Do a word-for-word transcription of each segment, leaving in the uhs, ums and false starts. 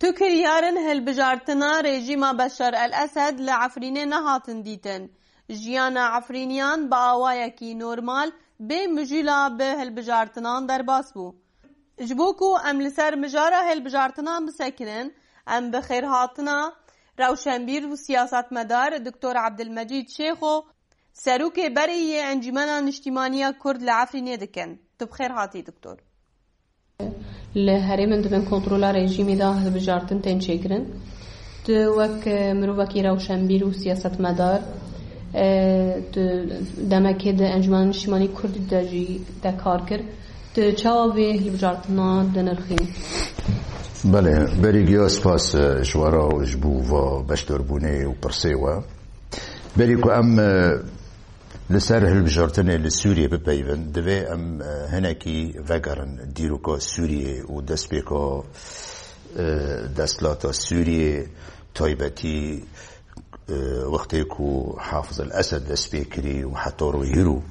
Tu kiryarin hilbijartina rejîma Beşar el-Esed li Efrînê nehatin dîtin. Jiyana Efrîniyan bi awayekî normal, bê mijûla bi hilbijartinan derbas bû. Ji bo ku em li ser mijara hilbijartinan bisekinin, em bi xêrhatina rewşenbîr û siyasetmedar Doktor Ebdilmecîd Şêxo, serokê berê yê Encûmena Niştîmaniya Kurd li Efrînê dikin. Tu bi xêr hatî, Doktor. Li herêmên di bin kontrola rejîmê de hilbijartin tên çêkirin. Tu wek, e, mirovekî rewşenbîr û siyasetmedar, e, tu demekê di Encûmena Niştîmanî Kurdî de jî te kar kir. Tu çawa vê hilbijartina dinirxînî? Belê, berî giya spas, e, ji we re û ji bo va beşdarbûnê û pirsê we. Berî ku em, e, li ser hilbijartinê li Sûriyê bipeyivin, divê em, e, hinekî vegerin dîroka Sûriyê û destpêka, e, desthilata Sûriyê, taybetî, e, wextê ku Hafiz el-Esed dest pê kirî û heta royê hîro,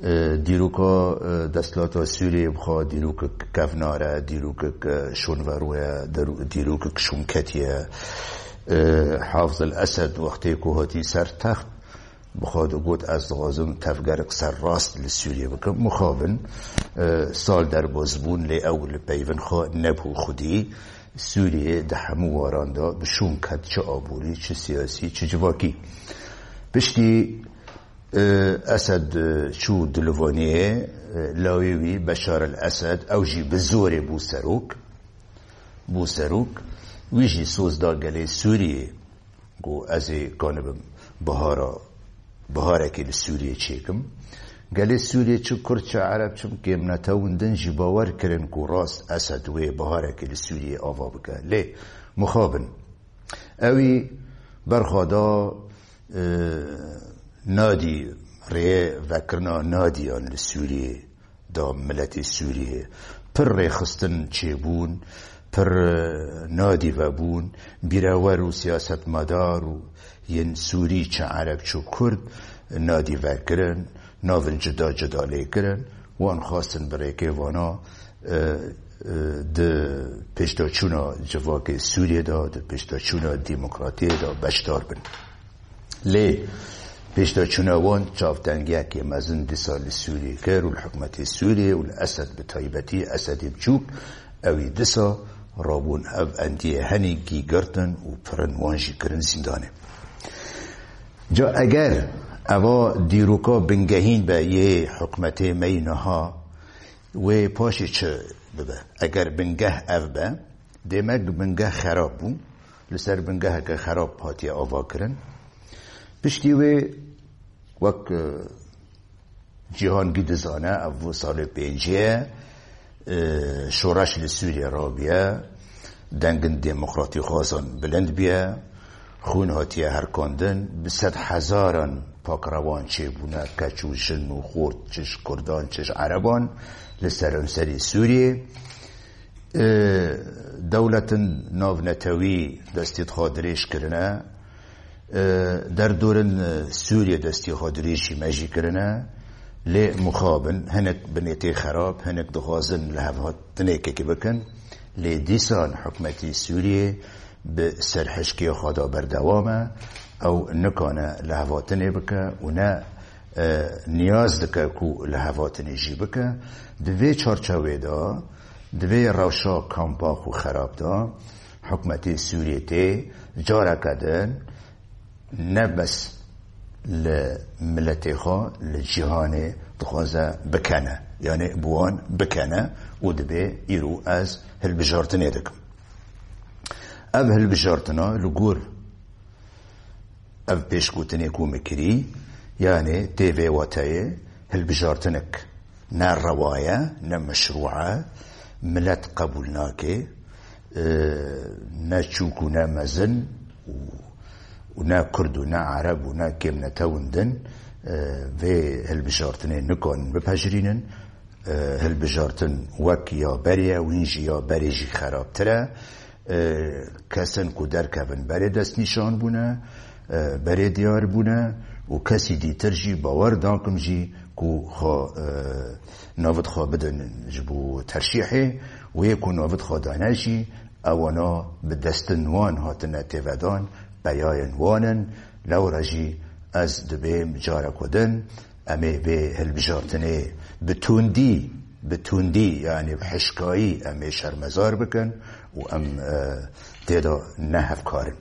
e, dîroka, e, desthilata Sûriyê bi xwe dîrokek kevnar e, dîrokek, e, şûnverû ye, dîro-, dîrokek şûnketî ye. E, Hafiz el-Esed wextê ku hatî ser text, bi xwe digot, ez dixwazim tevgerek serrast li Sûriyê bikim. Mixabin, e, sal derbas bûn, lê ew li peyvên xwe nebû xwedî. Sûriyê di hemû waran de bi şûn ket, çi aborî, çi siyasî, çi civakî. Piştî, e, Esed, e, çû Dilovaniyê, e, lawê wî Beşar el-Esed, ew jî bi zorê bû serok. Bû serok. Wî jî soz da gelê Sûriyê. Got, ez ê kanibim bihara, biharekê li Sûriyê çêkim. Gelê Sûriyê, çi Kurd, çi Ereb, çi kêmnetewin din jî bawer kirin ku rast Esed wê biharekê li Sûriyê ava bike. Lê mixabin. Ewî berxwe da, e, nadî rêyê vekirina nadiyan li Sûriyê da miletê Sûriyê. Pir rêxistin çêbûn, pir, e, nadî vebûn, bîrewer û siyasetmedar û yên Sûrî, çi Ereb, çi Kurd, nadî vekirin, navin cuda cuda lê kirin. Wan xwestin bi rêkê vana, e, e, di pêşdaçûna civakê Sûriyê de, di pêşdaçûna demokratiyê de beşdar bin. Lê pêşdaçûna wan çavtengiyekê mezin dîsa li Sûriyê kir û li hikûmetê Sûriyê û li Esed bi taybetî, Esedê biçûk, ewî dîsa rabûn ev endiyê henî gî girtin û pirin wan jî kirin zîndanê. Ca eger eva dîroka bingehîn be yê hikûmetê me yî niha, wê paşê çi bibe? Eger bingeh ev be, demek bingeh xerab bû. Li ser bingeheke xerab hatiye avakirin. Piştî wê, wek, e, cîhan gî dizane, ev salê pêncê ye, e, şoreş li Sûriyê rabiye, dengin demokratîxwazan bilind biye, xûn hatiye herkandin, bi sed hezaran pakrewan çêbûne, keç û jin û xort, çi ji Kurdan, çi ji Ereban, li seranserê Sûriyê. E, dewletin navnetewî destê xwe dirêj kirine, e, derdorin, e, Sûriyê destê xwe dirêjî me jî kirine, lê mixabin hinek binêtê xerab, hinek dixwazin lihevhatinekekî bikin, lê dîsan hikûmetî Sûriyê bi serhişkê xwe de berdewam e, ew nikane lihevhatinê bike û ne, e, niyaz dike ku lihevhatinê jî bike. Di vê çarçewê de, di vê rewşa kampa xwe xerab de, hikûmetê Sûriyê tê careke din ne bes li miletê xwe, li cîhanê dixwaze bikene. Yanî bi wan bikene û dibê îro ez hilbijartinê dikim. Ev hilbijartina li gor ev pêşgotinê ku min kirî, yanî tê vê wateyê hilbijartinek ne rewa ye, ne meşrû e, milet qebûl nake, e, ne çûk û ne mezin û, û ne Kurd û ne Ereb û ne kêmnetewin din, e, vê hilbijartinê nikarin bipejirînin. E, hilbijartin wek ya berê ye, wîn jî ya berê jî xerabtir e. E, kesin ku derkevin berê destnîşan bûne, e, berê diyar bûne û kesî dîtir jî bawer nakim jî ku xwe, e, navit xwe bidin ji bo terşîhê û yê ku navit xwe dane jî ewana bi destin wan hatine têvedan, peyayên wan in. Lewra jî ez dibêm carek din em ê vê hilbijartinê bi tundî, bi tundî, yanî bi hişkayî em ê şermezar bikin û em, e, tê de ne hevkar in.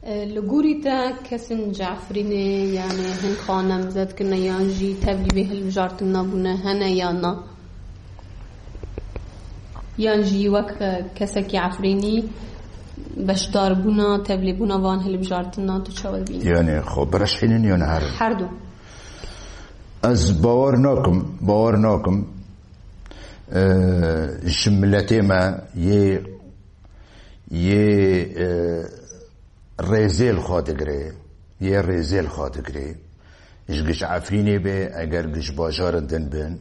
E, li gorî te kesên ji Efrînê, yanî hin xwe namzet kirine yan jî tevlî vê hilbijartina bûne, hene yan na? Yan jî wek, e, kesekî Efrînî beşdarbûna, tevlîbûna van hilbijartina tu çawa dibînî? Yanî xwe bireşînin yan herin? Her du. Ez bawer nakim, bawer nakim. E, ji miletê me yê, yê, e, rêzê li xwe digirê, yê rêzê li xwe digirê. Ji giş Efrînê bê, eger giş bajarin din bin,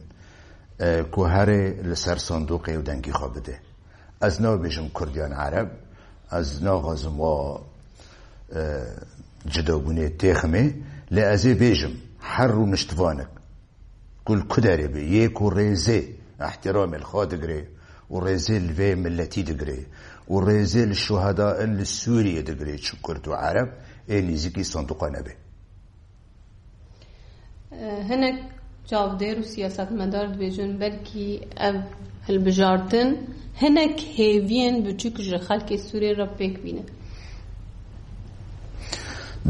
e, ku herê li ser sanduqê û dengî xwe bide. Ez nabêjim Kurd yan Ereb, ez naxwazim wa, e, cudabûnê têximê, lê ez ê bêjim her rûniştvanek ku li ku derê be, yê ku rêzê, îhtîramê li xwe digire û rêzê li vê miletî digire û rêzê li şuheda in li Sûriyê digire, çi Kurd û Ereb ê nêzîkî sanduqa nebe. Hinek çavdêr û siyasetmedar dibêjin, belkî ev hilbijartin hinek hêviyên biçûk ji xelkê Sûriyê re pêk bîne.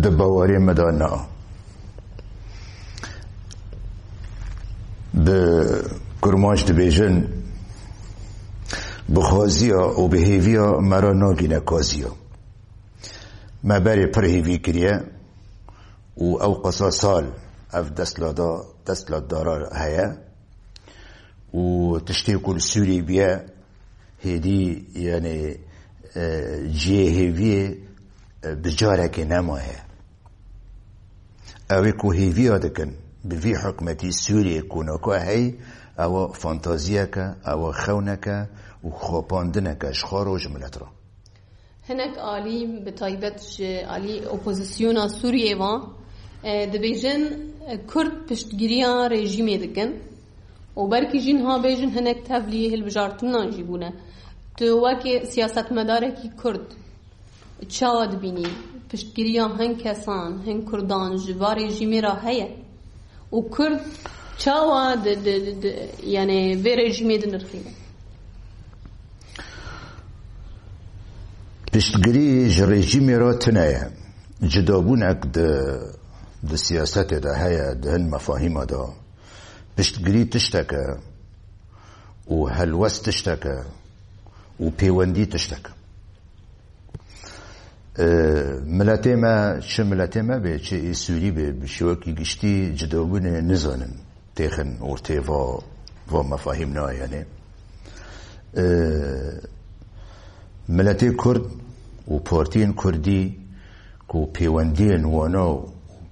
Di baweriyê me de na. Bi kurmanc dibêjin, bi xwaziya û bi hêviya me re nagîne kaziya. Me berê pir hêvî kiriye û ew qasa sal ev destlada-, destlatdara heye û tiştê ku li Sûriyê bûye, hêdî, yanî, e, cihê hêviyê, e, bi carekê nemaye. Ew ê ku hêviya dikin bi vî hikûmetî Sûriyê ku naka hey, ewa fantaziyeke, ewa xewneke û xapandineke ji xwe re û ji milet re. Hinek alî, bi taybet ji alî opozisyona Sûriyê ve, e, dibêjin, e, Kurd piştgiriya rejîmê dikin û belkî jî niha bêjin hinek tevlî hilbijartinan jî bûne. Tu wekî siyasetmedarekî Kurd çawa dibînî? Piştgiriya hin kesan, hin Kurdan ji va rejîmê re heye? Û Kurd çawa di, di, di, di, yanî vê rejîmê dinirxîne? Piştgirî ji rejîmê re tune ye. Cudabûnek di, di siyasetê de heye, di hin mefahîma de. Piştgirî tiştek e û helwest tiştek e û pêwendî tiştek e. E, miletê me, çi miletê me bê, çi ê Sûrî bê, bi şêwekî giştî cudabûnê nizanin, têxin ortê va, va mefahîm nayene. E, miletê Kurd û partiyên Kurdî ku pêwendiyên wana û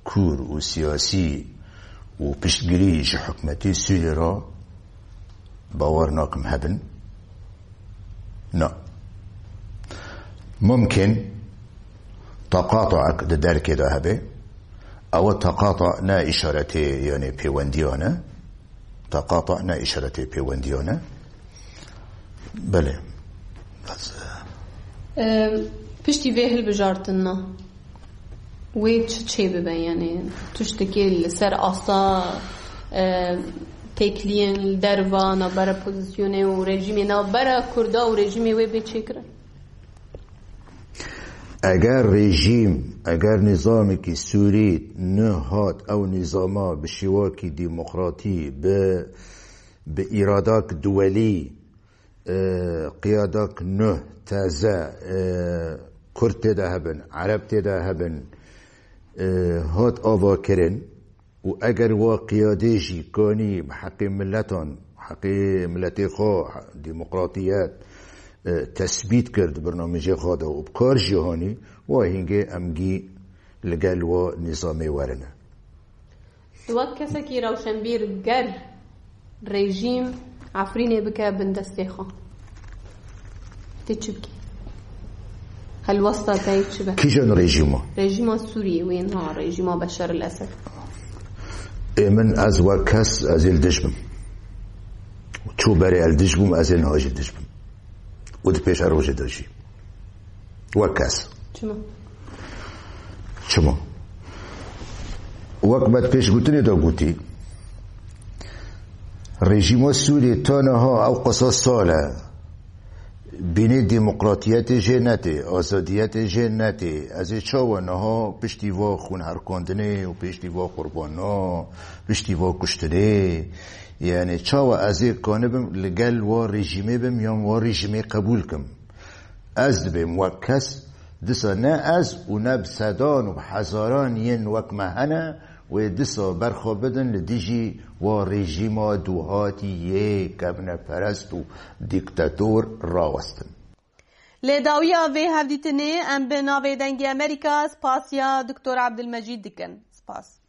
kûr û siyasî û piştgirî ji hikûmetê Sûriyê re bawer nakim hebin. Na. Mumkin teqatuek di derkê de hebe. Ew teqatu ne îşaretê, yanî pêwendiyan e. Teqatu ne îşaretê pêwendiyan e. Belê. Em, piştî vê hilbijartina, wê çi çêbibe? Yanî tiştekê li ser asta, e, têkiliyên li derva navbera pozisyonê û rejîmê, navbera Kurda û rejîmê wê bê çêkirin? Eger rejîm, eger nîzamekî Sûrî nihat ew nîzama bi şêwekî demokratî, bi, bi îradak duwelî, e, qiyadak nuh teze, e, Kurd tê de hebin, Ereb tê de hebin, e, hat avakirin û eger wa qiyadê jî kanî bi heqê miletan, heqê miletê xwe, demokratiyet, e, tesbît kir di bernamêjê xwe de û bi kar jî hanî, wa hîngê em gî li gel wa nîzamê werine. Tu wek kesekî rewşenbîr ger rejîm Efrînê bike bin destê xwe, tê çi bikî? Helwesta te yê çi be? Kîjan rejîma? Rejîma Sûriyê, wê niha rejîma Beşar el Esed. Ê min, ez wek kes, ez ê li dij bim. Çû berê ez li dij bûm, ez ê niha jî li dij bim. û di pêşerojê de jî wek kes. Çima? Çima? Wek me di pêşgotinê de gotî, rejîma Sûriyê ta niha ew qasa sal e, bînê demokratiyetê jê netê, azadiyetê jê netê. Ez ê çawa niha piştî va xûnherkandinê û piştî va qurbana, piştî va kuştinê, yani çawa ez ê kanibim li gel wa rejîmê bim yan wa rejîmê qebûl kim? Ez dibêm wek kes, disa ne ez û ne bi sedan û bi hezaran yên wek me hene, wê disa berxwe bidin li dijî wa rejîma duhatî yê kevneperest û dîktator rawestin. Lê dawiya vê hevdîtinê em bi navê Dengê Amerîka spasiya Doktor Abdulmecîd dikin. Spas.